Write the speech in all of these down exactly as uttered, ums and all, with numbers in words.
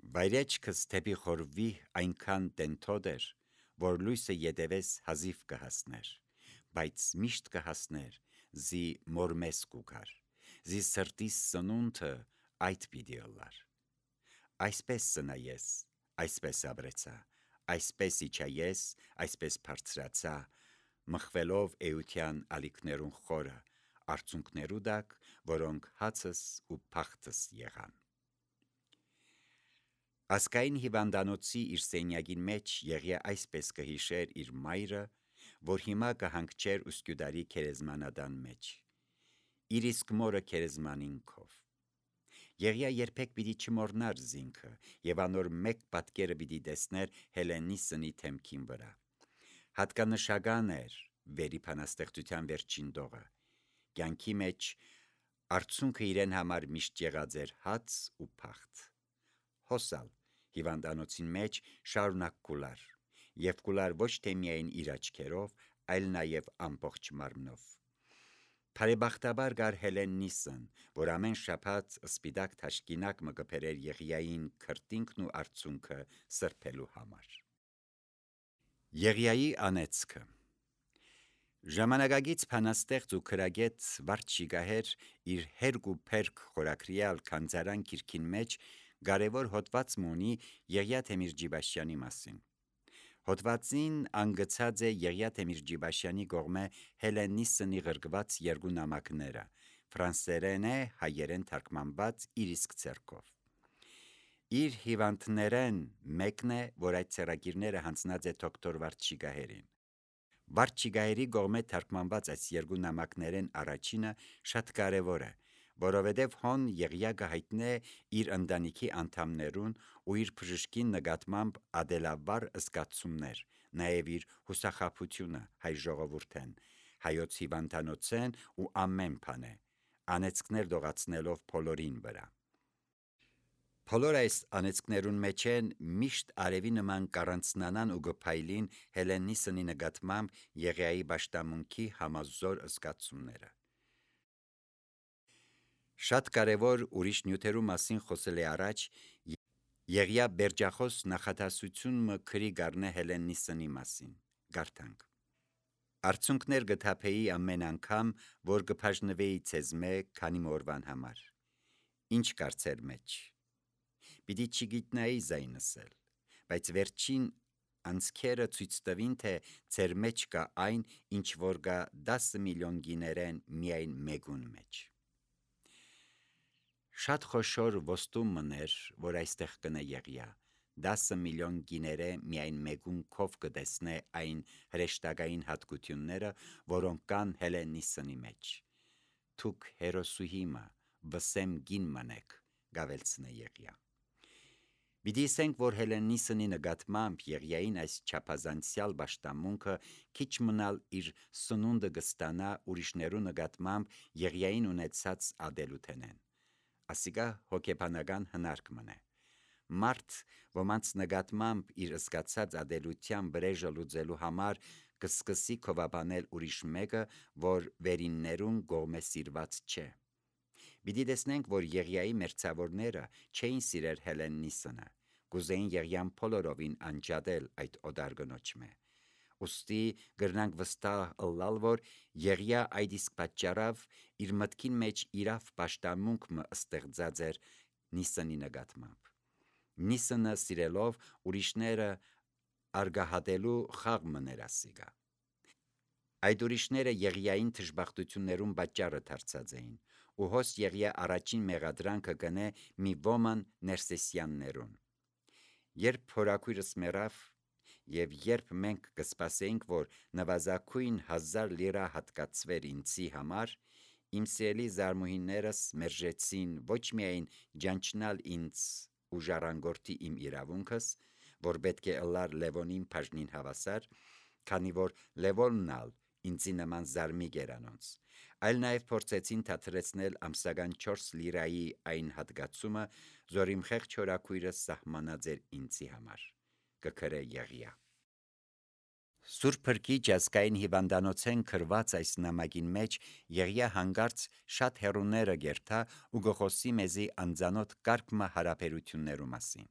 Վայրեջքս թեպի խորվի այնքան տենթոդ էր, որ լույսը ետևես հազիվ կհասներ, բայց միշտ կհասներ, զի մորմես կուգար, զի սրտիս սնունդը այդ պիտի ըլլար։ Այսպես սնա ես, այսպես ապրեցա, այսպես իջա ես, այսպես բարձրացա, մխվելով էության ալիքներուն խորը, արցունքներու դակ, որոնք հացս ու փախտս եղան։ Ասկային հիվանդանոցի իր սենյակին մեջ Եղիա այսպես կհիշեր իր մայրը, որ հիմա կհանգչեր ուսկյուդարի քերեզմանադան մեջ, իր իսկ մորը քերեզմանինքով։ Եղիա երբեք պիտի չմոռնար զինքը, եւ անոր մեկ պատկերը պիտի տեսներ Հելենիսնի թեմքին վրա։ Հատկանշական էր վերի փանաստեղծության վերջին դողը։ Կյանքի մեջ արցունքը իրեն համար միշտ եղած էր հաց ու փախտ։ Հոսալ հիվանդանոցին մեջ շարունակ կուլար, եւ կուլար ոչ թե միայն իր աչքերով, այլ նաեւ ամբողջ մարմնով։ Բարեբախտաբար գար Հելենիսն, որ ամեն շաբաթ սպիտակ թաշկինակ մը կբերեր Եղիային քրտինքն ու արցունքը սրբելու համար։ Եղիայի անեծքը Ժամանակագից փանաստեղծ ու քրագետ Վարդշիգահեր իր հերգ ու փերգ խորակրյալ քանձարան գիրքին մեջ կարևոր հոդված ունի Եղիա Թեմիր-Ջիբաշյանի մասին։ Հոդվածին անգծած է Եղիա Թեմիր-Ջիբաշյանի կողմէ Հելենիսնի ղրկված երկու նամակները, ֆրանսերենէ հայերեն թարգմանված իր իսկ ձեռքով։ Իր հիվանդներեն մեկն է, որ այդ ցերագիրները հանձնած է դոկտոր Վարդշիգահերին։ Վարդշիգահերի կողմէ թարգմանված այս երկու նամակներեն առաջինը շատ կարևոր է, որովհետև հոն Եղիա կհայտնե իր ընտանիքի անդամներուն ու իր բժշկին նկատմամբ ադելավար զգացումներ, նաև իր հուսախաբությունը հայ ժողովուրդեն, հայոց հիվանդանոցեն ու ամեն բանե, անեծքներ դողացնելով բոլորին վրա։ Բոլոր այս անեծքներուն մեջ են միշտ արևի նման կառանցնանան ու գփայլին Հելենիսնի նկատմամբ Եղիայի պաշտամունքի համազոր զգացումները։ Շատ կարևոր ուրիշ նյութերու մասին խոսել է առաջ Եղիա բերջախոս նախադասություն մը քրի գարնե Հելենիսնի մասին, գարթանք. Արցունքներ գթափեի ամեն անգամ, որ գբաժնվեի ցեզմե քանի մորվան համար, ինչ կարծեր մեջ, պիտի չգիտնայի զայնսել, բայց վերջին անցքերը ցույց տվին, թե ձեր մեջ կա այն, ինչ որ կա դասը միլիոն գիներեն միայն մեկուն մեջ։ Շատ խոշոր ոստում մներ, որ այստեղ կնե Եղիա, դասը միլիոն գիներե միայն մեկուն քով կտեսնե այն հրեշտակային հատկությունները, որոնք կան Հելենիսնի մեջ։ Թուք հերոսուհիմը վսեմ գին մնեք, գավելցնե Եղիա։ Պիտի ասենք, որ Հելենիսնի նկատմամբ Եղիային այս չափազանցյալ պաշտամունքը քիչ մնալ իր սնունդը կստանա ուրիշներու նկատմամբ Եղիային ունեցած ադելութենեն։ Ասիկա հոգեբանական հնարք մնե։ Մարդ, ոմանց նկատմամբ իր զգացած ադելության վրեժը լուծելու համար կսկսի քովաբանել ուրիշ մեկը, որ վերիններուն կողմե սիրված չէ։ Պիտի տեսնենք, որ Եղիայի մերձավորները չէին սիրեր Հելենիսնը, կուզեին Եղիան բոլորովին անջատել այդ օտար կնոջմե։ Ուստի գրնանք վստահ ըլլալ, որ Եղիա այդ իսկ պատճառավ իր մտքին մեջ իրավ պաշտամունք մը ստեղծած էր Նիսնի նկատմամբ։ Նիսնը սիրելով ուրիշները արգահատելու խաղ մներ ասիկա։ Այդ ուրիշները Եղիային թշբախտություններուն պատճառը դարձած էին, ու հոս Եղիա առաջին մեղադրանքը կնե մի ոման Ներսեսյաններուն։ Երբ փորակույրս մեռավ, եւ երբ մենք կսպասեինք, որ նվազագույն հազար լիրա հատկացվեր ինձի համար, իմ սիրելի զարմուհիներս մերժեցին ոչ միայն ջանչնալ ինձ ու ժառանգորդի իմ իրավունքս, որ պետք է ըլլար Լևոնին բաժնին հավասար, քանի որ Լևոնն ալ ինձի նման զարմիկ էր անոնց, այլ նաև փորձեցին թատրեցնել ամսական չորս լիրայի այն հատկացումը, որ իմ խեղճ հորաքույրը սահմանած էր ինձի համար, կգրե Եղիա։ Սուրբ Փրկիչ ազգային հիվանդանոցեն քրված այս նամակին մեջ Եղիա հանգարց շատ հեռուները գերթա ու գխոսի մեզի անձանոտ կարգ մը հարաբերություններու մասին։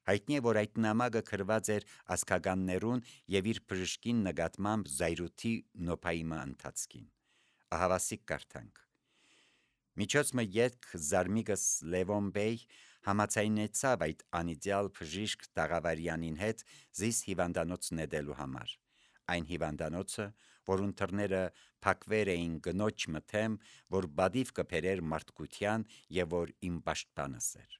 Հայտնի է, որ այդ նամակը գրված էր ազգականներուն եւ իր բժշկին նկատմամբ զայրույթի նոպայիմը ընթացքին։ Ահավասիկ կարդանք. Միջոց մը ետք Զարմիկս Լևոն բեյ համաձայնեցավ այդ անիդեալ բժիշկ Տաղավարյանին հետ զիս հիվանդանոց նետելու համար։ Այն հիվանդանոցը, որուն դռները փակվեր էին գնոջ մթեմ, որ բադիվ կբերեր մարդկության եւ որ իմ պաշտպանս էր։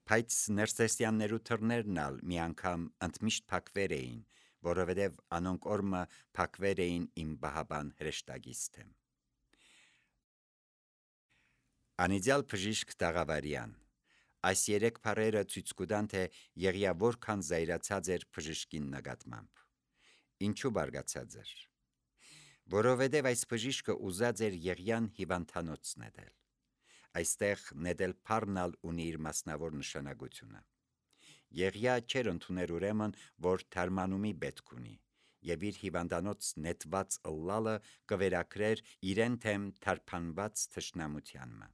Բայց ներսեսյաններու դռներն ալ մի անգամ ընդմիշտ փակվեր էին, որովհետեւ անոնք օրմը փակվեր էին իմ բահաբան հրեշտակից թեմ։ Անիդեալ բժիշկ Տաղավարյան, այս երեք բառերը ցույց կտան, թե Եղիա որքան զայրացած էր բժշկին նկատմամբ։ Ինչու բարգացած էր։ Որովհետև այս բժիշկը ուզած էր Եղիան հիվանդանոց նետել։ Այստեղ նետել բառնալ ունի իր մասնավոր նշանակությունը։ Եղիա չէր ընդուներ ուրեմն, որ թարմանումի պետք ունի, եւ իր հիվանդանոց նետված ըլլալը կվերակրեր իրեն թեմ թարփանված թշնամությանմը։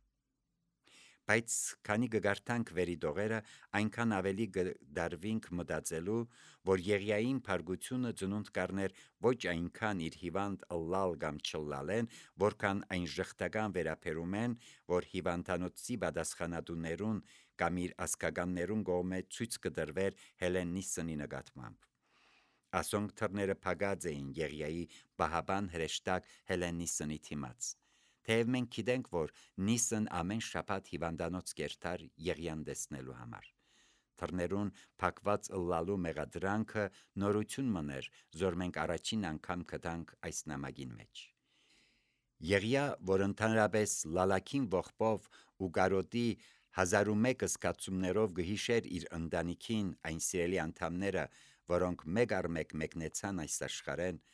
Բայց քանի կգարտանք վերի դողերը, այնքան ավելի կդարվինք մտածելու, որ Եղիային փարգությունը ծնունդ կառներ ոչ այնքան իր հիվանդ ըլլալ կամ չլալեն, որքան այն ժխտական վերաբերում են, որ հիվանդանոցի պատասխանատուներուն կամ իր ազգականներուն կողմէ ցույց կտրվեր Հելեննիսնի նկատմամբ։ Ասոնք թռները փակած էին Եղիայի բահաբան հրեշտակ Հելեննիսնի թիմաց։ Թեև մենք գիտենք, որ Նիսն ամեն շաբաթ հիվանդանոց կերտար Եղիան տեսնելու համար։ Թռներուն փակված ըլլալու մեղադրանքը նորություն մներ, որ մենք առաջին անգամ գտանք այս նամակին մեջ։ Եղիա, որ ընդհանրապես լալակին ողբով ու կարոտի հազար ու մեկ զգացումներով գհիշեր իր ընտանիքին այն սիրելի անդամները, որոնք մեկ առ մեկ մեկնեցան այս աշխարհեն,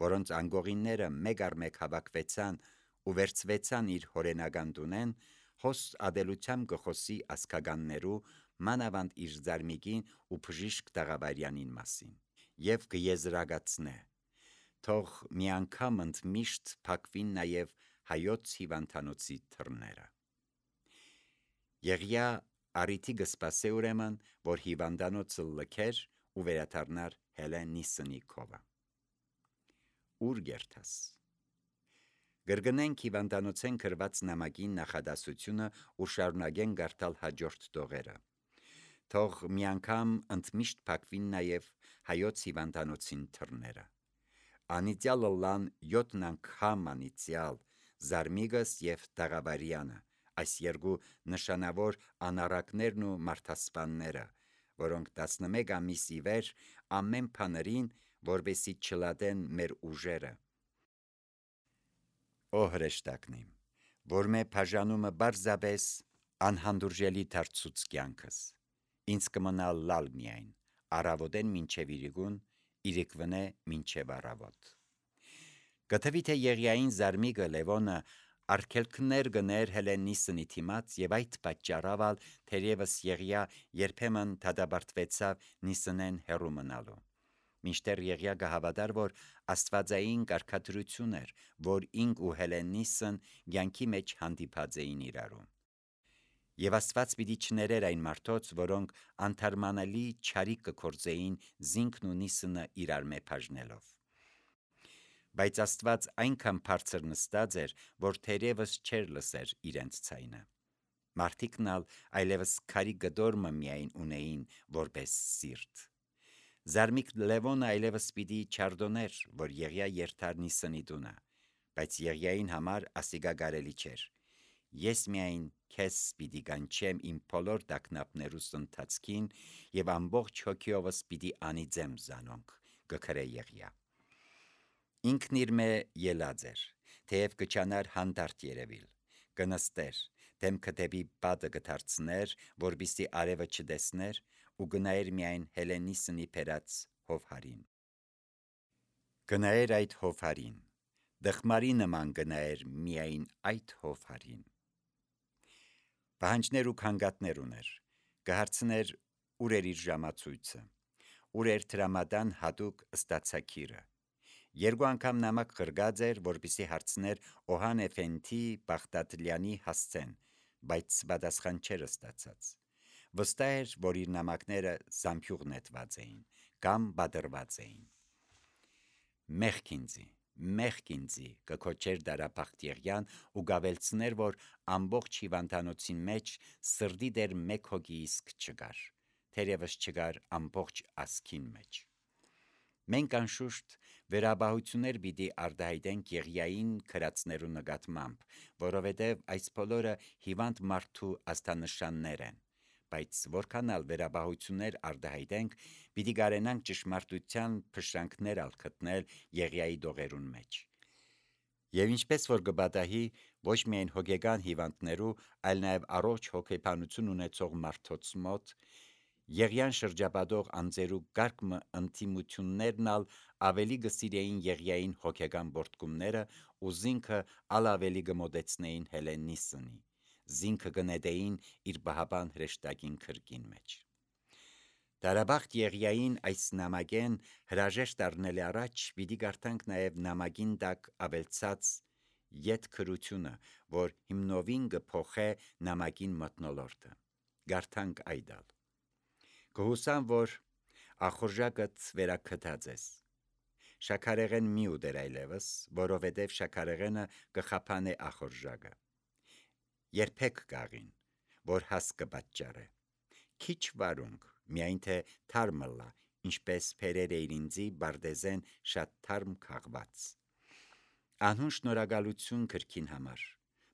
որոնց անգողինները մեկ առ մեկ հավաքվեցան ու վերցվեցան իր հորենական տունեն, հոս ադելությամբ կխոսի ազգականներու, մանավանդ իր Զարմիկին ու բժիշկ Տաղավարյանին մասին, եւ կեզրագացնե. թող մի անգամ ընդմիշտ փակվին նաեւ հայոց հիվանդանոցի թռները։ Եղիա առիթի կսպասե ուրեմն, որ հիվանդանոցը լքեր ու վերադառնար Հելեննիսնի քովը։ Ուր գերտաս։ Գրգնենք հիվանդանոցեն գրված նամակի նախադասությունը ու շարունակեն գարտալ հաջորդ տողերը։ Թող մի անգամ ընդմիշտ փակվին նաև հայոց հիվանդանոցին թռները։ Անիծյալ ըլլան յոթ անգամ անիծյալ Զարմիկս եւ Տաղավարյանը, այս երկու նշանավոր անառակներն ու մարդասպանները, որոնք տասնմեկ ամիս ի վեր ամեն բաներին, որովհետեւ չլատեն մեր ուժերը։ Օ հրեշտակնիմ, որ մե բաժանումը բարձաբես անհանդուրժելի դարձուց կյանքս, ինձ կմնա լալ միայն, առավոտեն մինչև իրիկուն, իրիկվնե մինչև առավոտ։ Գտվի թե Եղիային Զարմիկը Լևոնը արգելքներ գներ Հելեննիսնի թիմաց եւ այդ պատճառավալ թերևս Եղիա երբեմն դադարեցավ Նիսնեն հեռու մնալու։ Մինչդեռ Եղիա կհավատար, որ աստվածային կարգադրություն էր, որ ինք ու Հելեննիսն կյանքի մեջ հանդիպած էին իրարու։ Եվ Աստված պիտի չներեր այն մարդոց, որոնք անթարմանալի չարիք կգործեին զինքն ու Նիսնը իրար մե բաժնելով։ Բայց Աստված այնքան բարձր նստած էր, որ թերևս չէր լսեր իրենց ցայնը։ Մարդիկն ալ այլևս քարի գդորմը միայն ունեին որպես սիրտ։ Զարմիկ Լևոնը այլևս պիտի չարդոներ, որ Եղիա երթար Նիսնի տունը, բայց Եղիային համար ասիգա կարելի չէր։ Ես միայն քեզ պիտի կանչեմ իմ բոլոր տագնապներուս ընթացքին եւ ամբողջ հոգիովս պիտի անիծեմ զանոնք, կգրե Եղիա։ Ինքն իր մե ելած էր, թեև կչանար հանդարտ երևիլ, կնստեր, դեմքը դեպի պատը կդարձներ, որպեսզի արևը չտեսներ, ու գնայր միայն Հելեննիսնի բերած հովհարին։ Գնայր այդ հովհարին, դխմարի նման գնայր միայն այդ հովհարին։ Պահանջներ ու քանգատներ ուներ, կհարցներ ուր էր իր ժամացույցը, ուր էր տրամադան հատուկ ստացակիրը։ Երկու անգամ նամակ գրգած էր, որպեսզի հարցներ Օհան Էֆենդի Բաղդադլյանի հասցեն, բայց պատասխան չէր ստացած։ Վստահ էր, որ իր նամակները զամբյուղ նետված էին կամ բادرված էին։ Մեղք ինձի, մեղք ինձի, կքոչեր Դարափախտիեղյան ու գավելցներ, որ ամբողջ հիվանդանոցին մեջ սրդի դեր մեկ հոգի իսկ չկար, թերևս չկար ամբողջ ասքին մեջ։ Մենք անշուշտ վերաբահություններ պիտի արտահայտենք Եղիային քրածներու նկատմամբ, որովհետև այս բոլորը հիվանդ մարդու աստանշաններ են, բայց որքան ալ վերաբահություններ արտահայտենք, պիտի կարենանք ճշմարտության փշրանքներ ալ գտնել Եղիայի դողերուն մեջ։ Եվ ինչպես որ կպատահի ոչ միայն հոգեկան հիվանդներու, այլ նաև առողջ հոգեբանություն ունեցող մարդոց մոտ, Եղիան շրջապատող անձերու կարգ ընդդիմություններն ալ ավելի կսիրեին Եղիային հոգեկան բորտկումները ու զինքը ալ ավելի կմոտեցնեին Հելենիսնի, զինքը կնետեին իր բահաբան հրեշտակին քրկին մեջ։ Դարաբախտ Եղիային այս նամակեն հրաժեշտ առնելի առաջ պիտի կարդանք նաև նամակին տակ ավելցած ետքրությունը, որ հիմնովին կփոխե նամակին մթնոլորտը։ Կարդանք այդալ։ Կհուսամ, որ ախորժակդ վերակթած ես։ Շաքարեղեն մի ուտեր այլևս, որովհետև շաքարեղենը կխափանե ախորժակը։ Երբեք գաղին, որ հաս կպատճառե։ Քիչ վարունգ, միայն թե թարմլա, ինչպես փերեր էիր ինձի բարդեզեն շատ թարմ քաղված։ Անհուն շնորհակալություն քրքին համար,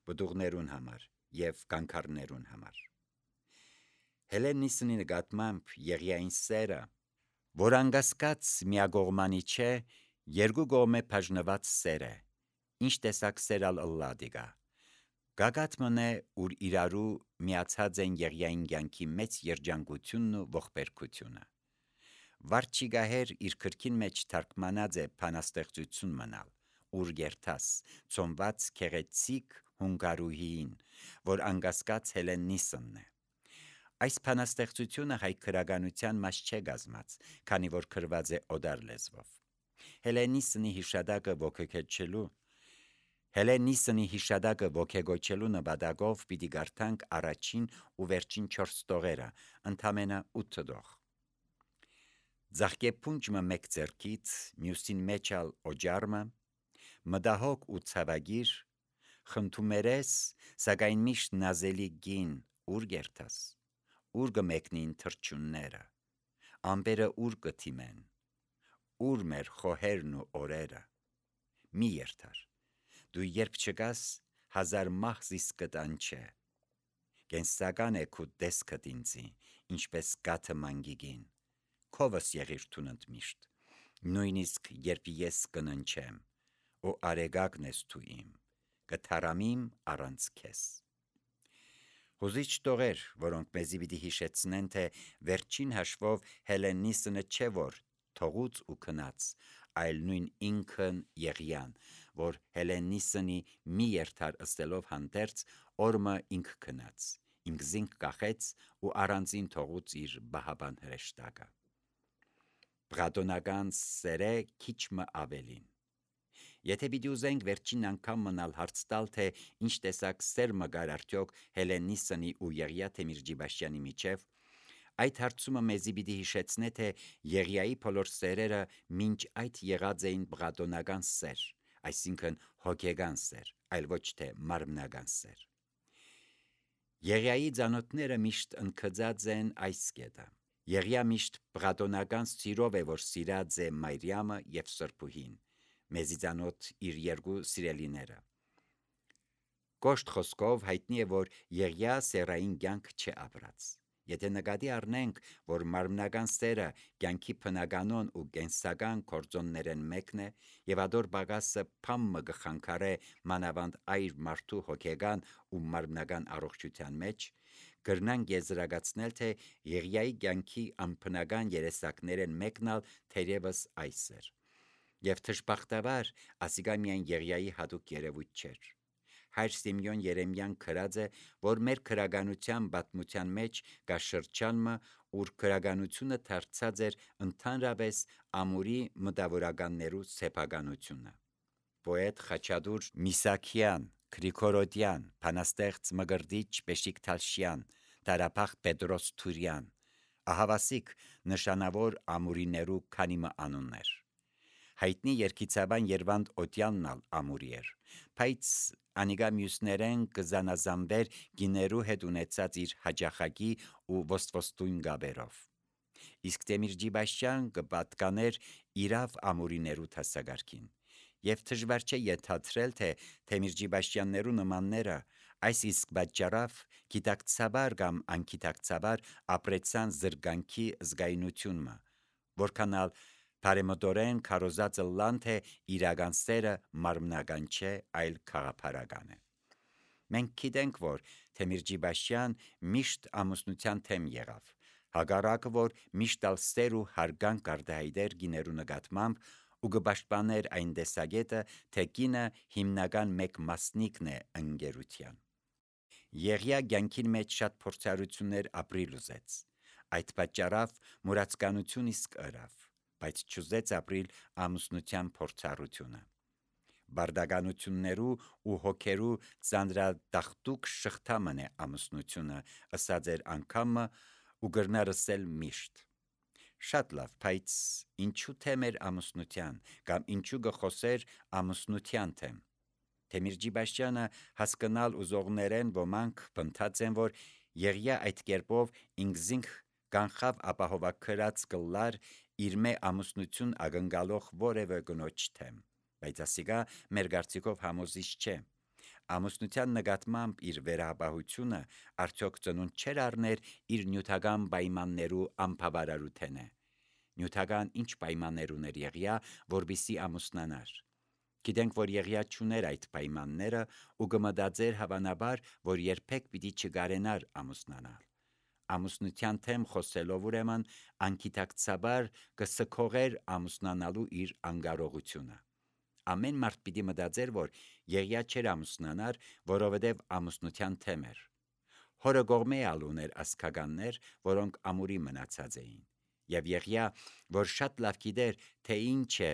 բդուղներուն համար եւ կանգառներուն համար։ Հելենիսնի նկատմամբ Եղիային սերը, որ անգասկած միագողմանի չէ, երկու կողմե բաժնված սեր է, ինչ տեսակ սեր ալ ըլլադիգա։ Գագաթ մնե, ուր իրարու միացած են Եղիային կյանքի մեծ երջանկությունն ու ողբերգությունը։ Վարչիգահեր իր քրքին մեջ թարգմանած է բանաստեղծություն մնալ, ուր երթաս, ծոմված քեղեցիկ հունգարուհին, որ անգասկած Հելենիսնն է։ Այս բանաստեղծությունը հայ քրագանության մաս չէ գազմած, քանի որ գրված է օդար լեզվով։ Հելենիսնի հիշադակը ոգեկոչելու Հելենիսնի հիշադակը ոգեկոչելու նպատակով պիտի կարդանք առաջին ու վերջին չորս տողերը, ընդամենը ութ տող։ Ձախկեպունջը մեկ ձեռքից, մյուսին մեջ ալ օջարմը, մտահոգ ու ցավագիր, խնդումերես, սակայն միշտ նազելի գին, ուր գերտաս, ուր կմեկնին թրջունները, ամպերը ուր կթիմեն, ուր մեր խոհերն ու օրերը, մի երթար, դու երբ չկաս, հազար մահզիս կտան չէ, կենսական է քու տեսքդ ինձի, ինչպես կաթը մանգիգին, քովս եղիր թունդ միշտ, նույնիսկ երբ ես կննչեմ, ու արեգակն ես թու իմ, կթարամիմ առանց քեզ։ Հուզիչ տողեր, որոնք մեզի պիտի հիշեցնեն, թե վերջին հաշվով Հելենիսնը չէ որ թողուց ու քնած, այլ նույն ինքն Եղիան, որ Հելենիսնի մի երթար ըստելով հանդերձ, օրմը ինք քնած, ինք զինք կախեց ու առանձին թողուց իր բահաբան հրեշտակը։ Պրատոնական սերե քիչմը ավելին։ Եթե պիտի ուզենք վերջին անգամ մնալ հարց տալ, թե ինչ տեսակ սեր մգար արդյոք Հելենիսնի ու Եղիա Թեմիրջիբաշյանի միջև, այդ հարցումը մեզի պիտի հիշեցնե, թե Եղիայի բոլոր սերերը մինչ այդ եղած էին պրատոնական սեր, այսինքն հոգեգան սեր, այլ ոչ թե մարմնական սեր։ Եղիայի ծանոթները միշտ ընկծած են այս կետը։ Եղիա միշտ պրատոնական սիրով է, որ սիրած է Մարիամը եւ Սրբուհին, մեզի ծանոթ իր երկու սիրելիները։ Կոշտ խոսքով հայտնի է, որ Եղիա սերային կյանք չէ ապրած։ Եթե նկատի առնենք, որ մարմնական սերը կյանքի բնականon ու կենսական գործոններեն մեկն է, եւ ադոր բագասը փամը գխանքարե մանավանդ այր մարդու հոգեգան ու մարմնական առողջության մեջ, կրնանք եզրակացնել, թե Եղիայի կյանքի անբնական երեսակներեն մեկն ալ թերևս այս էր։ Եվ թշբախտաբար ասիկա միայն Եղիայի հատուկ երևույթ չէր։ Հայր Սիմեոն Երեմյան գրած է, որ մեր քրագանության պատմության մեջ կա շրջանը, ուր քրագանությունը դարձած էր ընդհանրապես ամուրի մտավորականներու սեփականությունը։ Պոետ Խաչատուր Միսաքյան, Գրիգորոդյան, բանաստեղծ Մկրտիչ Բեշիկ Թալշյան, Տարապախ Պետրոս Թուրյան, ահավասիկ նշանավոր ամուրիներու քանիմը անուններ։ Հայտնի երկիցաբան Երվանդ Օտյաննալ ամուրի էր, բայց անիգա մյուսներեն կզանազանվեր գիներու հետ ունեցած իր հաջախակի ու ոստվոստույն գաբերով։ Իսկ Տեմիրջիբաշյան կպատկաներ իրավ ամուրիներու թասագարքին, եւ դժվար չէ ենթադրել, թե Տեմիրջիբաշյաններու նմանները այս իսկ պատճառով գիտակցաբար կամ անկիտակցաբար ապրեցան զրգանքի զգայունությունը, որքանալ բարեմտորեն քարոզած լան թե իրական սերը մարմնական չէ, այլ քաղաքական է։ Մենք գիտենք, որ Տեմիրջիբաշյան միշտ ամուսնության թեմ եղավ, հակառակը, որ միշտ ալ սեր ու հարգանք արտահայտեր գիներու նկատմամբ ու կպաշտպաներ այն տեսակետը, թե կինը հիմնական մեկ մասնիկն է ընկերության։ Եղիա կյանքին մեջ շատ փորձառություններ ապրիլ ուզեց, այդ պատճառով մուրացկանություն իսկ ըրավ, բայց չուզեց ապրիլ ամուսնության փորձառությունը։ Բարդականություններու ու հոգերու ծանրադախտուկ շղթամն է ամուսնությունը, ըսած էր անգամը ու գրնար ըսել միշտ։ Շատ լավ, բայց ինչու թեմ էր ամուսնության, կամ ինչու գխոսեր ամուսնության թեմ։ Տեմիրջիբաշյանը հասկանալ ուզողներեն ոմանք բնթած են, որ եղիա այդ կերպով ինքզինք կանխավ ապահովակրած կլար իր մե ամուսնություն ակնկալող որևէ կնոջ թեմ, բայց ասիկա մեր կարծիքով համոզիչ չէ։ Ամուսնության նկատմամբ իր վերահապահությունը արդյոք ծնունդ չէր առներ իր նյութական պայմաններու անբավարարութենէ։ Նյութական ինչ պայմաններ ուներ եղիա, որբիսի ամուսնանար։ Գիտենք, որ եղիա չուներ այդ պայմանները ու կմտածեր հավանաբար, որ երբեք պիտի չկարենար ամուսնանալ։ Ամուսնության թեմ խոսելով ուրեմն անկիտակցաբար կսքողեր ամուսնանալու իր անկարողությունը։ Ամեն մարդ պիտի մտածեր, որ եղիա չէր ամուսնանար, որովհետև ամուսնության թեմ էր։ Հորը կողմէ ալ ուներ ասկականներ, որոնք ամուրի մնացած էին, եւ եղիա, որ շատ լավ գիտեր, թե ինչ է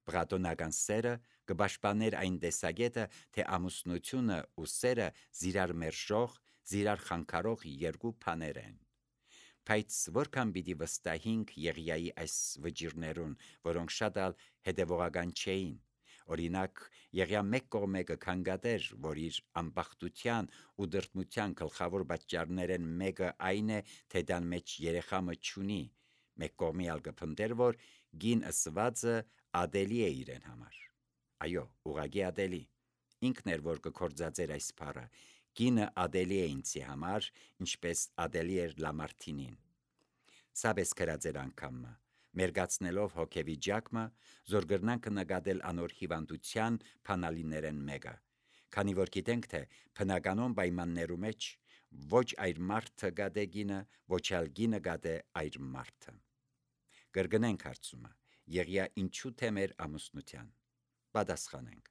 պղատոնական սերը, կպաշտպաներ այն տեսակետը, թե ամուսնությունը ու սերը զիրար մերժող, զիրար խանգարող երկու բաներ են։ Բայց որքան պիտի վստահենք Եղիայի այս վճիրներուն, որոնք շատ ալ հետևողական չէին։ Օրինակ, Եղիա մեկ կողմէ կքննադեր, որ իր անբախտության ու դրդմության գլխավոր պատճառներեն մեկը այն է, թե դան մեջ երեխամը չունի, մեկ կողմի ալ կփնտեր, որ գին ըսվածը ադելի է իրեն համար։ Այո, ուղղակի ադելի։ Ինքն էր, որ կկործածեր այս բառը, գինը ադելի է ինձի համար, ինչպես ադելի էր Լամարտինին։ Սաբես կրած էր անգամը, մերգացնելով հոգեվիճակը, զորգրնանք նկատել անոր հիվանդության փանալիներեն մեկը, քանի որ գիտենք, թե բնականոն պայմաններու մեջ ոչ այր մարդը գադե գինը, ոչ ալ գինը գադե այր մարդը։ Կրկնենք հարցումը, Եղիա ինչու թեմ էր ամուսնության։ Պատասխանենք,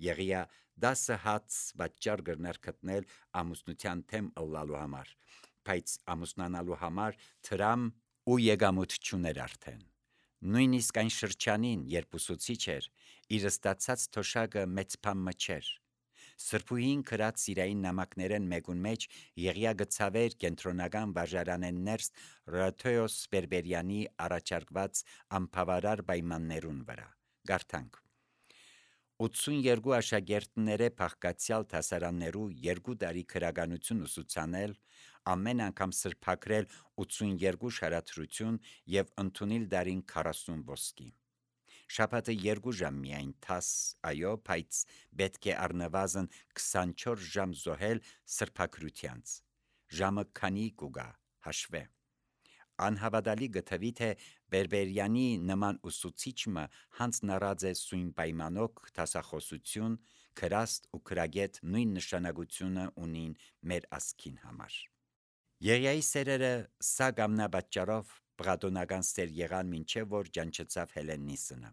Եղիա դասը հաց պատճառ կրներ գտնել ամուսնության թեմ ըլլալու համար, բայց ամուսնանալու համար թրամ ու եկամուտ չուներ արդեն։ Նույնիսկ այն շրջանին, երբ ուսուցիչ էր, իր ստացած թոշակը մեծ բան չէր։ Սրբուհին գրած սիրային նամակներեն մեկուն մեջ Եղիա գցավեր կենտրոնական վարժարանեն ներս Ռաթեոս Բերբերյանի առաջարկված անբավարար պայմաններուն վրա։ Գարթանք. ութսունյերկու աշակերտները փախկացյալ դասարաններու երկու տարի քրականություն ուսուցանել, ամեն անգամ սրբակրել ութսունյերկու շարադրություն եւ ընդունել դարին քառասուն ոսկի։ Շաբաթը երկու ժամ միայն թաս, այո, բայց պետք է առնվազն քսանչորս ժամ զոհել սրբակրությանց։ Ժամը քանի կուգա, հաշվե։ Անհավատալի գտվի, թե Բերբերյանի նման ուսուցիչը հանձնարած է սույն պայմանոք դասախոսություն, քրաստ ու քրագետ նույն նշանակությունը ունին մեր ասքին համար։ Եղիայի սերերը սա գամնա պատճառով պղատոնական սեր եղան մինչև որ ճանչեցավ Հելենիսնը։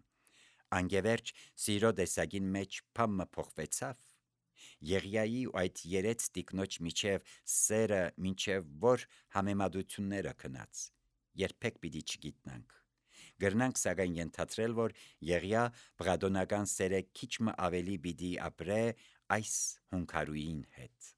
Անգևերջ սիրո տեսակին մեջ փամը փոխվեցավ։ Եղիայի ու այդ երեց տիկնոջ միջև սերը մինչև որ համեմատությունները քնած։ Երբեք պիտի չգիտնանք։ Գրնանք սակայն ենթադրել, որ Եղիա պղատոնական սերը քիչ մը ավելի պիտի ապրե այս հունքարուին հետ։